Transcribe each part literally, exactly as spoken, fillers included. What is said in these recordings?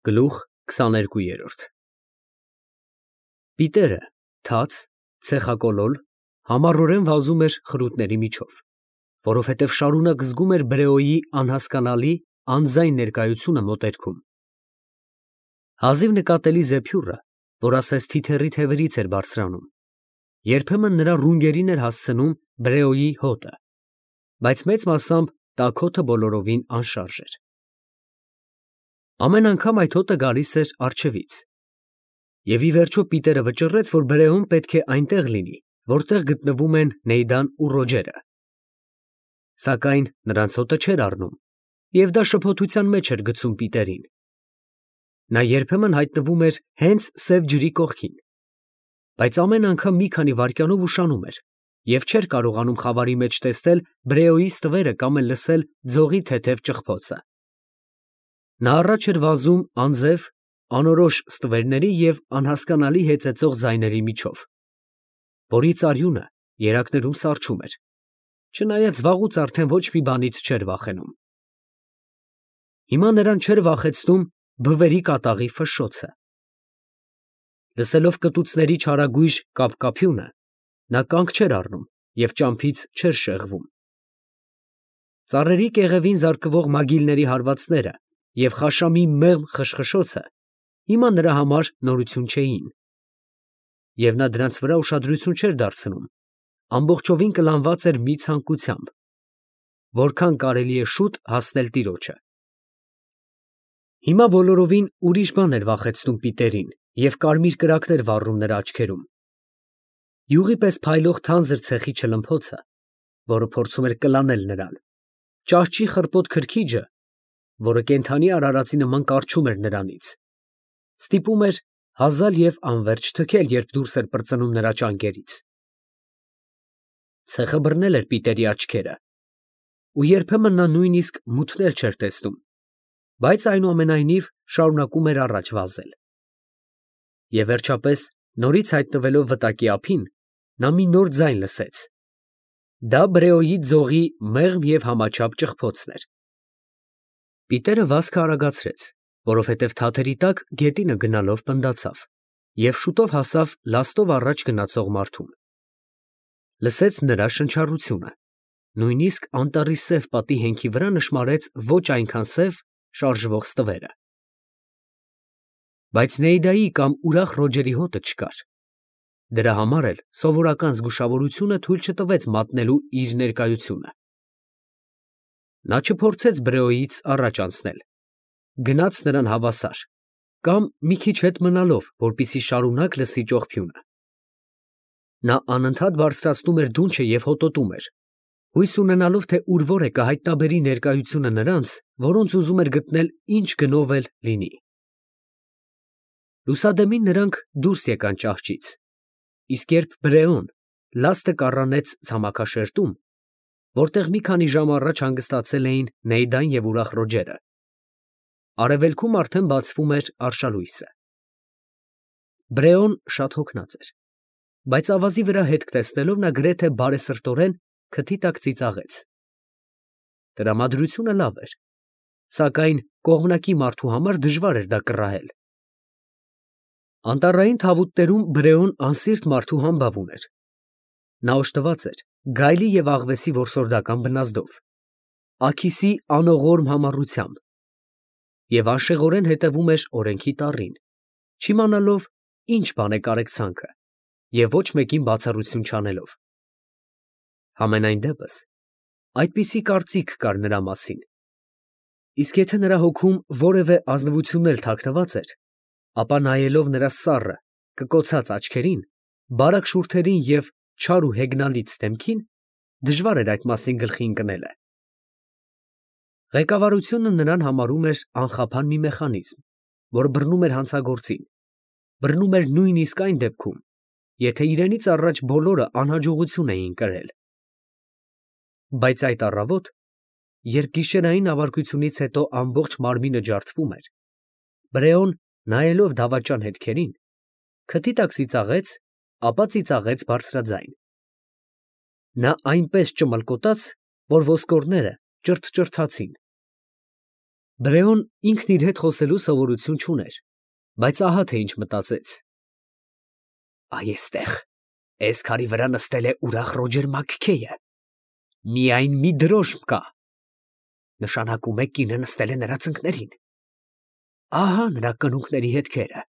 Գլուխ քսաներկու։ Պիտերը թաց, ցեխակոլոր, համառորեն վազում էր խրութների միջով, որովհետև շարունակ զգում էր Բրեոյի անհասկանալի, անձայն ներկայությունը մոտերքում։ Հազիվ նկատելի զեփյուռը, որ ասես թիթեռի թևերից էր բարձրանում, երբեմն նրա ռունգերին էր հասցնում Բրեոյի հոտը, բայց մեծ մասամբ տաք հոտը բոլորովին անշարժ էր։ Ամեն անգամ այդ հոտը գալիս էր առջևից, և ի վերջո Պիտերը վճռեց, որ Բրեոն պետք է այնտեղ լինի, որտեղ գտնվում են Նեյդան ու Ռոջերը։ Սակայն նրանց հոտը չէր առնում, և դա շփոթության մեջ էր գցում Պիտերին։ Նա երբեմն հայտնվում էր հենց սև ջրի կողքին, բայց ամեն անգամ մի քանի վայրկյանով ուշանում էր և չէր կարողանում խավարի մեջ տեսնել Բրեոյի ստվերը կամ էլ լսել ձողի թեթև ճխփոցը։ Նա առաջ էր վազում անձև, անորոշ ստվերների և անհասկանալի հեծեծող ձայների միջով, որից արյունը երակներում սառչում էր, չնայած վաղուց արդեն ոչ մի բանից չէր վախենում։ Հիմա նրան չէր վախեցնում բվերի կատաղի ֆշշոցը։ Լսելով կտուցների չարագույժ կափկափյունը, նա կանգ չէր առնում և ճամփից չէր շեղվում։ Ծառերի կեղևին զարկվող մագիլների հարվածները և խաշամի մեղմ խշխշոցը հիմա նրա համար նորություն չէին, և նա դրանց վրա ուշադրություն չէր դարձնում, ամբողջովին կլանված էր մի ցանկությամբ, որքան կարելի է շուտ հասնել տիրոջը։ Հիմա բոլորովին ուրիշ բան էր վախեցնում Պիտերին և կարմիր կրակներ վառում նրա աչքերում. յուղի պես փայլող թանձր ցեխի չլմփոցը, որը փորձում էր կլանել նրան, ճահճի խռպոտ քրքիջը, որը կենդանի արարածի նման կառչում էր նրանից, ստիպում էր հազալ և անվերջ թքել, երբ դուրս էր պրծնում նրա ճանկերից։ Ցեխը բռնել էր Պիտերի աչքերը, ու երբեմն նա նույնիսկ մութներ չէր տեսնում, բայց այնուամենայնիվ շարունակում էր առաջ վազել։ Եվ վերջապես, նորից հայտնվելով վտակի ափին, նա մի նոր ձայն լսեց. դա Բրեոյի ձողի մեղմ և համաչափ ճխփոցն էր։ Պիտերը վազքը արագացրեց, որովհետև թաթերի տակ գետինը գնալով պնդացավ և շուտով հասավ լաստով առաջ գնացող մարդուն։ Լսեց նրա շնչառությունը, նույնիսկ անտառի սև պատի հենքի վրա նշմարեց ոչ այնքան սև շարժվող ստվերը։ Բայց Նեյդայի կամ ուրախ Ռոջերի հոտը չկար։ Դրա համար էլ սովորական զգուշավորությունը թույլ չտվեց մատնելու իր ներկայությունը։ Նա չփորձեց Բրեոյից առաջ անցնել, գնաց նրան հավասար կամ մի քիչ հետ մնալով, որպեսզի շարունակ լսի ճողփյունը։ Նա անընդհատ բարձրացնում էր դունչը և հոտոտում էր, հույս ունենալով, թե ուր որ է կհայտնաբերի ներկայությունը նրանց, որոնց ուզում էր գտնել ինչ գնով էլ լինի։ Լուսադեմին նրանք դուրս եկան ճահճից, իսկ երբ Բրեոն լաստը կառանեց ցամաքաշերտում, որտեղ մի քանի ժամ առաջ հանգստացել էին Նեյդան և ուրախ Ռոջերը, արևելքում արդեն բացվում էր արշալույսը։ Բրեոն շատ հոգնած էր, բայց ավազի վրա հետք տեսնելով նա գրեթե բարեսրտորեն քթի տակ ծիծաղեց։ Տրամադրությունը լավ էր, սակայն կողմնակի մարդու համար դժվար էր դա կռահել։ Անտառային թավուտներում Բրեոն անսիրտ մարդու համբավ ուներ։ Նա օժտված էր գայլի և աղվեսի որսորդական բնազդով, աքիսի անողորմ համառությամբ և անշեղորեն հետևում էր օրենքի տառին, չիմանալով ինչ բան է կարեկցանքը և ոչ մեկին բացառություն չանելով։ Համենայն դեպս, այդպիսի կարծիք կար նրա մասին, իսկ եթե նրա հոգում որևէ ազնվություն էլ թաքնված էր, ապա նայելով նրա սառը, կկոցած աչքերին, բարակ շուրթերին և չար ու հեգնալից դեմքին, դժվար էր այդ մասին գլխի ընկնելը։ Ղեկավարությունը նրան համարում էր անխափան մի մեխանիզմ, որ բռնում էր հանցագործին, բռնում էր նույնիսկ այն դեպքում, եթե իրենից առաջ բոլորը անհաջողություն էին կրել։ Բայց այդ առավոտ, երբ գիշերային ավարտությունից հետո ամբողջ մարմինը ջարդվում էր, Բրեոն, նայելով դավաճան հետքերին, քթի տակ ծիծաղեց, ապա ծիծաղեց բարձրաձայն։ Նա այնպես ճմլկոտաց, որ ոսկորները ճրթճրթացին։ Բրեոն ինքն իր հետ խոսելու սովորություն չուներ, բայց ահա թե ինչ մտածեց. «Այ էստեղ, էս քարի վրա նստել է ուրախ Ռոջեր Մաքքեյը, միայն մի դրոշմ կա, նշանակում է կինը նստել է նրա ծնկներին, ահա նրա կնունկների հետքերը,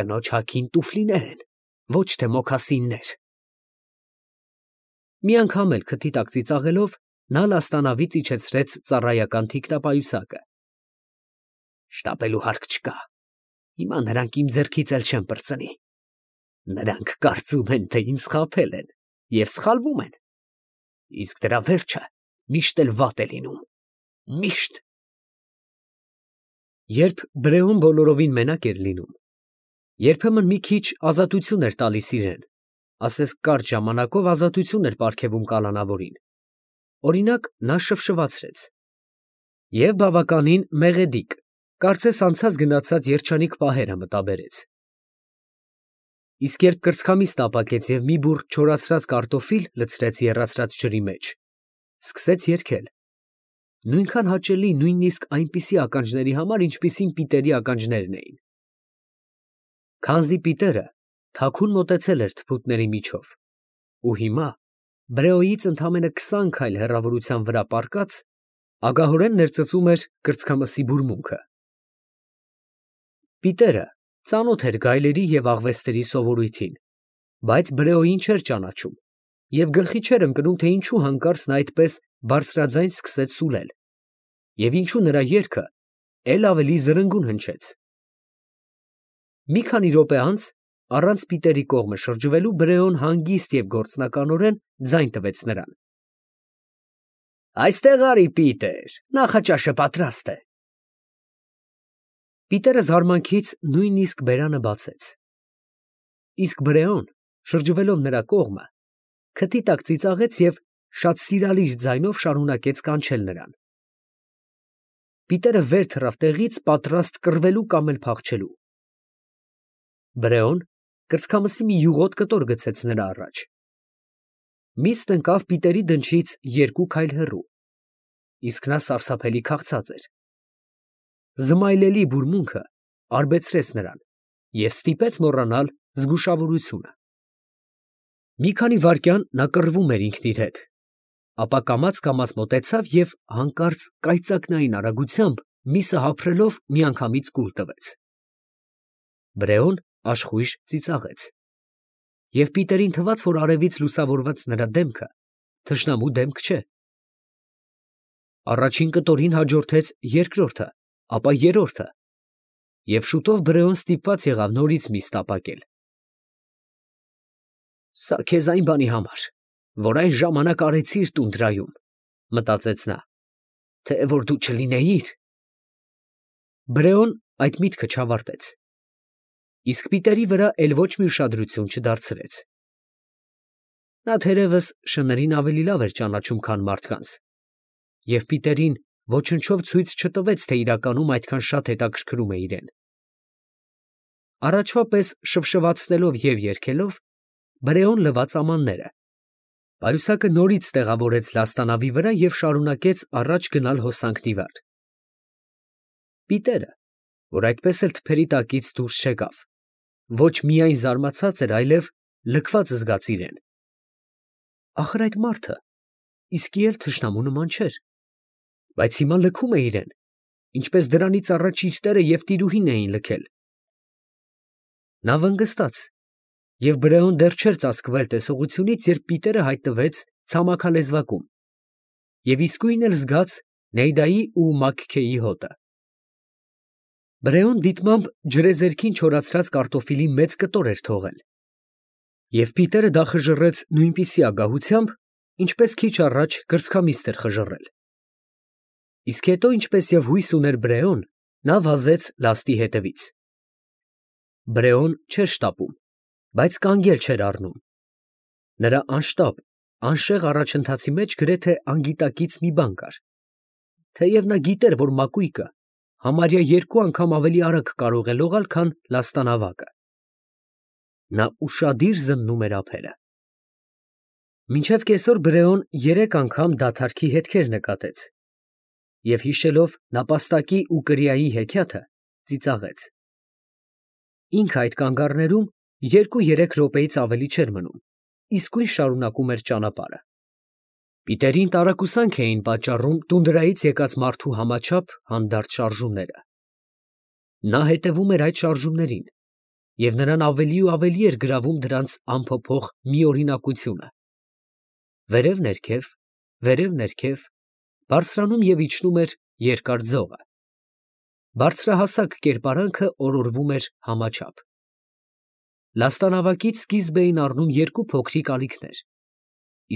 կնոջ հագին տուֆլիներ են, ոչ թե մոքասիններ»։ Մի անգամ էլ քթի տակ ծիծաղելով, նա լաստանավից իջեցրեց ծառայական թիկնապայուսակը։ «Շտապելու հարկ չկա, հիմա նրանք իմ ձեռքից էլ չեն պրծնի, նրանք կարծում են, թե ինձ խաբել են և սխալվում են, իսկ դրա վերջը միշտ էլ վատ է լինում, միշտ»։ Երբ Բրեոն բոլորովին մենակ էր լինում, երբեմն մի քիչ ազատություն էր տալիս իրան, ասես կարճ ժամանակով ազատություն էր պարգևում կալանավորին, օրինակ, նա շվշվացրեց և բավականին մեղեդիկ, կարծես անցած գնացած երջանիկ պահերը մտաբերեց։ Իսկ երբ կրծքամիսն ապակեց և մի բուռ չորացրած կարտոֆիլ լցրեց եռացրած ջրի մեջ, սկսեց երգել, նույնքան հաճելի նույնիսկ այնպիսի ականջների համար, ինչպիսին Պիտերի ականջներն էին։ Քանզի Պիտերը թաքուն մոտեցել էր թփուտների միջով, ու հիմա, Բրեոյից ընդամենը քսան քայլ հեռավորության վրա պառկած, ագահորեն ներծծում էր կրծքամսի բուրմունքը։ Պիտերը ծանոթ էր գայլերի և աղվեսների սովորույթին, բայց Բրեոյին չէր ճանաչում և գլխի չէր ընկնում, թե ինչու հանկարծ նա այդպես բարձրաձայն սկսեց սուլել և ինչու նրա երգը էլ ավելի զրնգուն հնչեց։ Մի քանի րոպե անց, առանց Պիտերի կողմը շրջվելու, Բրեոն հանգիստ և գործնականորեն ձայն տվեց նրան. «Այստեղ արի, Պիտեր, նախաճաշը պատրաստ է»։ Պիտերը զարմանքից նույնիսկ բերանը բացեց, իսկ Բրեոն, շրջվելով նրա կողմը, քթի տակ ծիծաղեց և շատ սիրալիր ձայնով շարունակեց կանչել նրան։ Պիտերը վեր թռավ տեղից, պատրաստ կռվելու կամ էլ փախչելու։ Բրեոն կրծքամսի մի յուղոտ կտոր գցեց նրա առաջ։ Միստ ընկավ Պիտերի դնչից երկու քայլ հեռու, իսկ նա սարսափելի քաղցած էր։ Զմայլելի բուրմունքը արբեցրեց նրան և ստիպեց մոռանալ զգուշավորությունը։ Մի քանի վայրկյան նա կռվում էր ինքն իր հետ, ապա կամաց֊կամաց մոտեցավ և հանկարծ կայծակնային արագությամբ միսը հափռելով միանգամից կուլ տվեց։ Բրեոն աշխույժ ծիծաղեց, և Պիտերին թվաց, որ արևից լուսավորված նրա դեմքը թշնամու դեմք չէ։ Առաջին կտորին հաջորդեց երկրորդը, ապա երրորդը, և շուտով Բրեոն ստիպված եղավ նորից միստ ապակել։ «Սա քեզ այն բանի համար, որ այն ժամանակ արեցիր տունդրայում, ֊ մտածեց նա, ֊ թե որ դու չլինեիր»։ Բրեոն այդ միտքը չավարտեց, իսկ Պիտերի վրա էլ ոչ մի ուշադրություն չդարձրեց։ Նա թերևս շներին ավելի լավ էր ճանաչում, քան մարդկանց, և Պիտերին ոչնչով ցույց չտվեց, թե իրականում այդքան շատ հետաքրքրում է իրեն։ Առաջվա պես շվշվացնելով և երգելով, Բրեոն լվաց ամանները, պայուսակը նորից տեղավորեց լաստանավի վրա և շարունակեց առաջ գնալ հոսանքն ի վար։ Պիտերը, որ այդպես էլ թփերի տակից դուրս չեկավ, ոչ միայն զարմացած էր, այլև լքված զգաց իրեն։ Ախր այդ մարդը իսկի էլ թշնամու նման չէր, բայց հիմա լքում է իրեն, ինչպես դրանից առաջ իր տերը և տիրուհին էին լքել։ Նա վնգստաց, և Բրեոն դեռ չէր ծածկվել տեսողությունից, երբ Պիտերը հայտնվեց ցամաքալեզվակում և իսկույն էլ զգաց Նեյդայի ու Մաքքեյի հոտը։ Բրեոն դիտմամբ ջրեզերքին չորացրած կարտոֆիլի մեծ կտոր էր թողել, և Պիտերը դա խժռեց նույնպիսի ագահությամբ, ինչպես քիչ առաջ կրծքամիստ էր խժռել։ Իսկ հետո, ինչպես և հույս ուներ Բրեոն, նա վազեց լաստի հետևից։ Բրեոն չէր շտապում, բայց կանգել չէր առնում։ Նրա անշտապ, անշեղ առաջընթացի մեջ գրեթե անգիտակից մի բան կար, թեև նա գիտեր, որ մակույկը համարյա երկու անգամ ավելի արագ կարող է լողալ, քան լաստանավակը։ Նա ուշադիր զննում էր ափերը։ Մինչև կեսօր Բրեոն երեք անգամ դադարքի հետքեր նկատեց, և հիշելով նապաստակի ու կրիայի հեքիաթը, ծիծաղեց։ Ինքը այդ կանգառներում երկու֊երեք րոպեից ավելի չէր մնում, իսկույն շարունակում էր ճանապարհը։ Պիտերին տարակուսանք էին պատճառում տունդրայից եկած մարդու համաչափ հանդարտ շարժումները։ Նա հետևում էր այդ շարժումներին, և նրան ավելի ու ավելի էր գրավում դրանց անփոփոխ միօրինակությունը։ Վերև֊ներքև, վերև֊ներքև, բարձրանում և իջնում էր երկար ձողը։ Բարձրահասակ կերպարանքը օրորվում էր համաչափ։ Լաստանավակից սկիզբ էին առնում երկու փոքրիկ ալիքներ,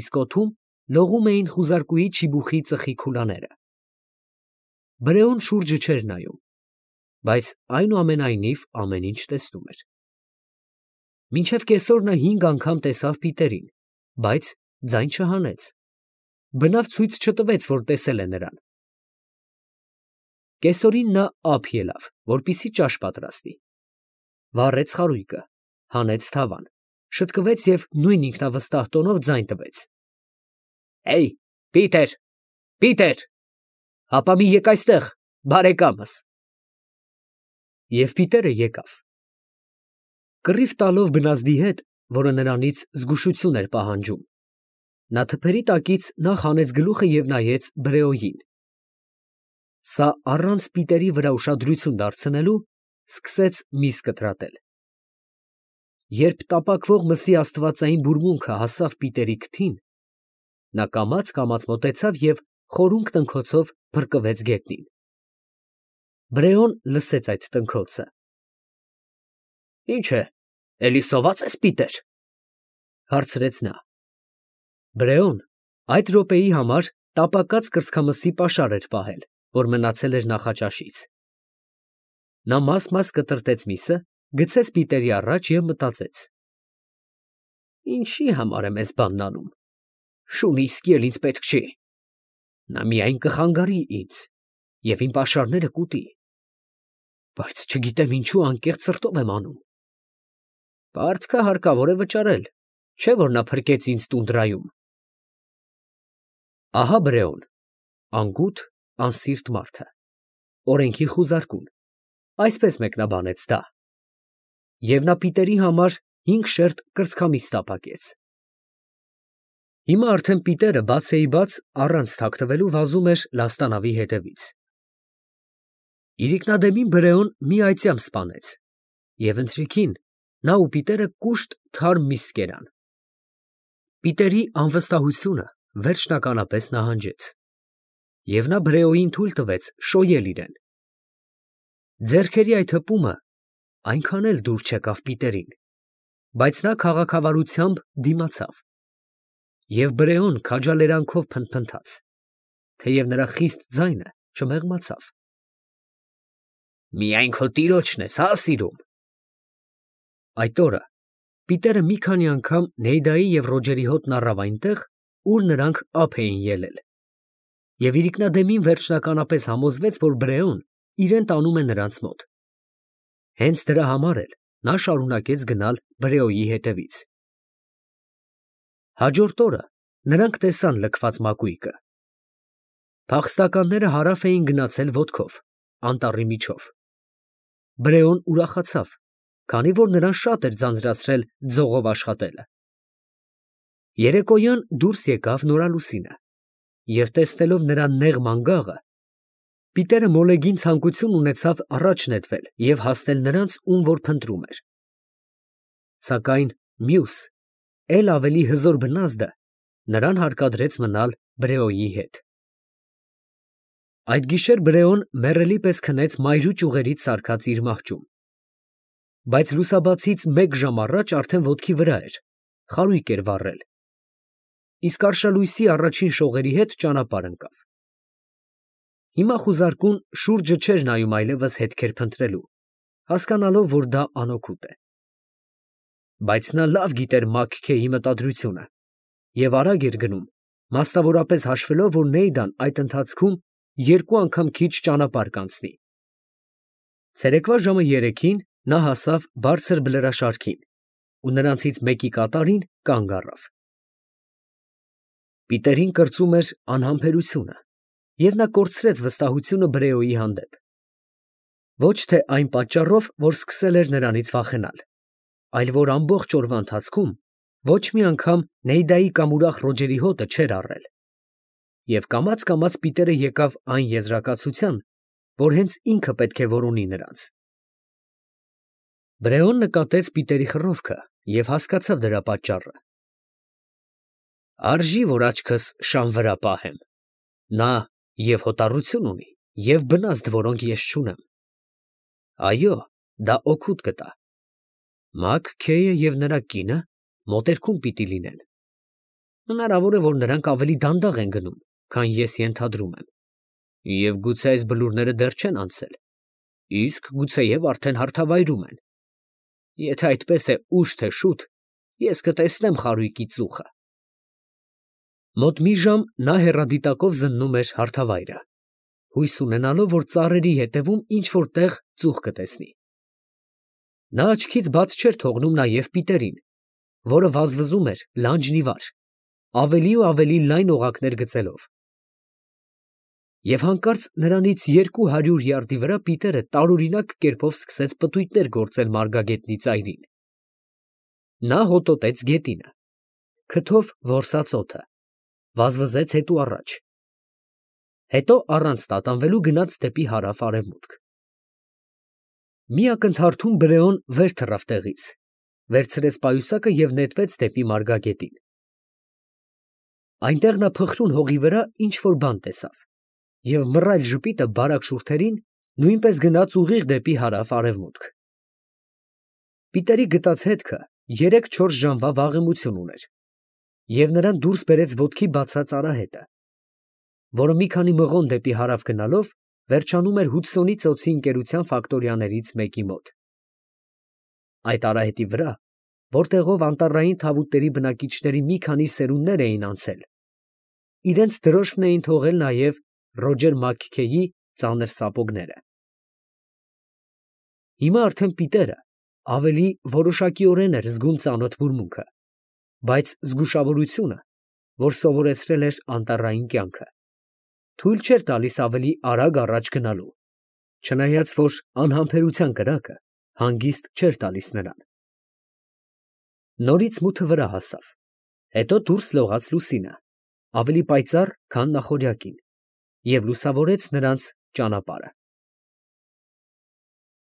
իսկ օդում լողում էին խուզարկուի չիբուխի ծխի քուլաները։ Բրեոն շուրջը չէր նայում, բայց այնուամենայնիվ ամեն ինչ տեսնում էր։ Մինչև կեսօր նա հինգ անգամ տեսավ Պիտերին, բայց ձայն չհանեց, բնավ ցույց չտվեց, որ տեսել է նրան։ Կեսօրին նա ափ ելավ, որպեսզի ճաշ պատրաստի, վառեց խարույկը, հանեց թավան, շտկվեց և նույն ինքնավստահ տոնով ձայն տվեց. «Հեյ, Պիտեր, Պիտեր, հապա մի եկ այստեղ, բարեկամս»։ Եվ Պիտերը եկավ։ Կռիվ տալով բնազդի հետ, որը նրանից զգուշություն էր պահանջում, նա թփերի տակից նախ հանեց գլուխը և նայեց Բրեոյին։ Սա առանց Պիտերի վրա ուշադրություն դարձնելու սկսեց միս կտրատել։ Երբ տապակվող մսի աստվածային բուրմունքը հասավ Պիտերի քթին, նա կամաց֊կամաց մոտեցավ և խորունկ տնքոցով փրկվեց գետնին։ Բրեոն լսեց այդ տնքոցը։ «Ի՞նչ է, էլի սոված ես, Պիտեր» հարցրեց նա։ Բրեոն այդ րոպեի համար տապակած կրծքամսի պաշար էր պահել, որ մնացել էր նախաճաշից։ Նա մաս֊մաս կտրտեց միսը, գցեց Պիտերի առաջ և մտածեց. «Ինչի համար եմ էս բանն անում, շուն իսկի էլ ինձ պետք չի, նա միայն կխանգարի ինձ և իմ պաշարները կուտի, բայց չգիտեմ ինչու անկեղծ սրտով եմ անում։ Պարտքը հարկավոր է վճարել, չէ՞ որ նա փրկեց ինձ տունդրայում»։ Ահա Բրեոն, անգութ, անսիրտ մարդը, օրենքի խուզարկուն, այսպես մեկնաբանեց դա։ Եվ նա Պիտերի համար հինգ շերտ կրծքամիս տապակեց։ Հիմա արդեն Պիտերը բացեիբաց առանց թաքնվելու վազում էր լաստանավի հետևից։ Իրիկնադեմին Բրեոն մի այծյամ սպանեց, և ընթրիքին նա ու Պիտերը կուշտ թարմ միս կերան։ Պիտերի անվստահությունը վերջնականապես նահանջեց, և նա Բրեոյին թույլ տվեց շոյել իրեն։ Ձեռքերի այդ հպումը այնքան էլ դուր չեկավ Պիտերին, բայց նա քաղաքավարությամբ դիմացավ, և Բրեոն քաջալերանքով փնթփնթաց, թեև նրա խիստ ձայնը չմեղմացավ։ «Միայն քո տիրոջն ես, հա՞, սիրում»։ Այդ օրը Պիտերը մի քանի անգամ Նեյդայի և Ռոջերի հոտն առավ այնտեղ, ուր նրանք ափ էին ելել, և իրիկնադեմին վերջնականապես համոզվեց, որ Բրեոն իրեն տանում է նրանց մոտ։ Հենց դրա համար էլ նա շարունակեց գնալ Բրեոյի հետևից։ Հաջորդ օրը նրանք տեսան լքված մակույկը։ Փախստականները հարավ էին գնացել ոտքով, անտառի միջով։ Բրեոն ուրախացավ, քանի որ նրան շատ էր ձանձրացրել ձողով աշխատելը։ Երեկոյան դուրս եկավ նորալուսինը, և տեսնելով նրա նեղ մանգաղը, Պիտերը մոլեգին ցանկություն ունեցավ առաջ նետվել և հասնել նրանց, ում որ փնտրում էր։ Սակայն մյուս, էլ ավելի հզոր բնազդը նրան հարկադրեց մնալ Բրեոյի հետ։ Այդ գիշեր Բրեոն մեռելի պես քնեց մայրու ճյուղերից սարքած իր մահճում, բայց լուսաբացից մեկ ժամ առաջ արդեն ոտքի վրա էր, խարույկ էր վառել, իսկ արշալույսի առաջին շողերի հետ ճանապարհ ընկավ։ Հիմա խուզարկուն շուրջը չէր նայում այլևս հետքեր փնտրելու, հասկանալով, որ դա անօգուտ է։ Բայց նա լավ գիտեր Մաքքեյի մտադրությունը և արագ էր գնում, մասնավորապես հաշվելով, որ Նեյդան այդ ընթացքում երկու անգամ քիչ ճանապարհ կանցնի։ Ցերեկվա ժամը երեքին նա հասավ բարձր բլրաշարքին ու նրանցից մեկի կատարին կանգ առավ։ Պիտերին կրծում էր անհամբերությունը, և նա կորցրեց վստահությունը Բրեոյի հանդեպ։ Ոչ թե այն պատճառով, որ սկսել էր նրանից վախենալ, այլ որ ամբողջ օրվա ընթացքում ոչ մի անգամ Նեյդայի կամ ուրախ Ռոջերի հոտը չէր առել։ Եվ կամաց֊կամաց Պիտերը եկավ այն եզրակացության, որ հենց ինքը պետք է որոնի նրանց։ Բրեոն նկատեց Պիտերի խռովքը և հասկացավ դրա պատճառը։ Արժի, որ աչքս շան վրա պահեմ. նա և հոտառություն ունի, և բնազդ, որոնք ես չունեմ։ Այո, դա օգուտ կտա։ Մաք-Քեյը և նրա կինը մոտերքում պիտի լինեն։ Հնարավոր է, որ նրանք ավելի դանդաղ են գնում, քան ես ենթադրում եմ, և գուցե այս բլուրները դեռ չեն անցել, իսկ գուցեև արդեն հարթավայրում են։ Եթե այդպես է ուշ թե շուտ, ես կտեսնեմ խարույկի ծուխը։ Մոտ մի ժամ նա հեռադիտակով զննում էր հարթավայրը, հույս ունենալով, որ ծառերի ետևում ինչ֊որ տեղ ծուխ կտեսնի։ Նա աչքից բաց չէր թողնում նաև Պիտերին, որը վազվզում էր լանջն ի վար, ավելի ու ավելի լայն օղակներ գծելով։ Եվ հանկարծ նրանից երկու հարյուր յարդի վրա Պիտերը տարօրինակ կերպով սկսեց պտույտներ գործել մարգագետնի ծայրին։ Նա հոտոտեց գետինը, քթով որսաց օդը, վազվզեց հետո առաջ, հետո առանց տատանվելու գնաց դեպի հարավ֊արևմուտք։ Մի ակնթարթում Բրեոն վեր թռավ տեղից, վերցրեց պայուսակը և նետվեց դեպի մարգագետին։ Այնտեղ նա փխրուն հողի վրա ինչ֊որ բան տեսավ, և մռայլ ժպիտը բարակ շուրթերին նույնպես գնաց ուղիղ դեպի հարավ֊արևմուտք։ Պիտերի գտած հետքը երեք֊չորս ժամվա վաղեմություն ուներ, և նրան դուրս բերեց ոտքի բացած արահետը, որը մի քանի մղոն դեպի հարավ գնալով վերջանում էր Հուդսոնի ծոցի ընկերության ֆակտորիաներից մեկի մոտ։ Այդ արահետի վրա, որտեղով անտառային թավուտների բնակիչների մի քանի սերունդներ էին անցել, իրենց դրոշմն էին թողել նաև Ռոջեր Մաք֊Քեյի ծանր սապոգները։ Հիմա արդեն Պիտերը ավելի որոշակիորեն էր զգում ծանոթ բուրմունքը, բայց զգուշավորությունը, որ սովորեցրել էր անտառային կյանքը, թույլ չէր տալիս ավելի արագ առաջ գնալու, չնայած որ անհամբերության կրակը հանգիստ չէր տալիս նրան։ Նորից մութը վրա հասավ, հետո դուրս լողաց լուսինը, ավելի պայծառ, քան նախօրյակին, և լուսավորեց նրանց ճանապարհը։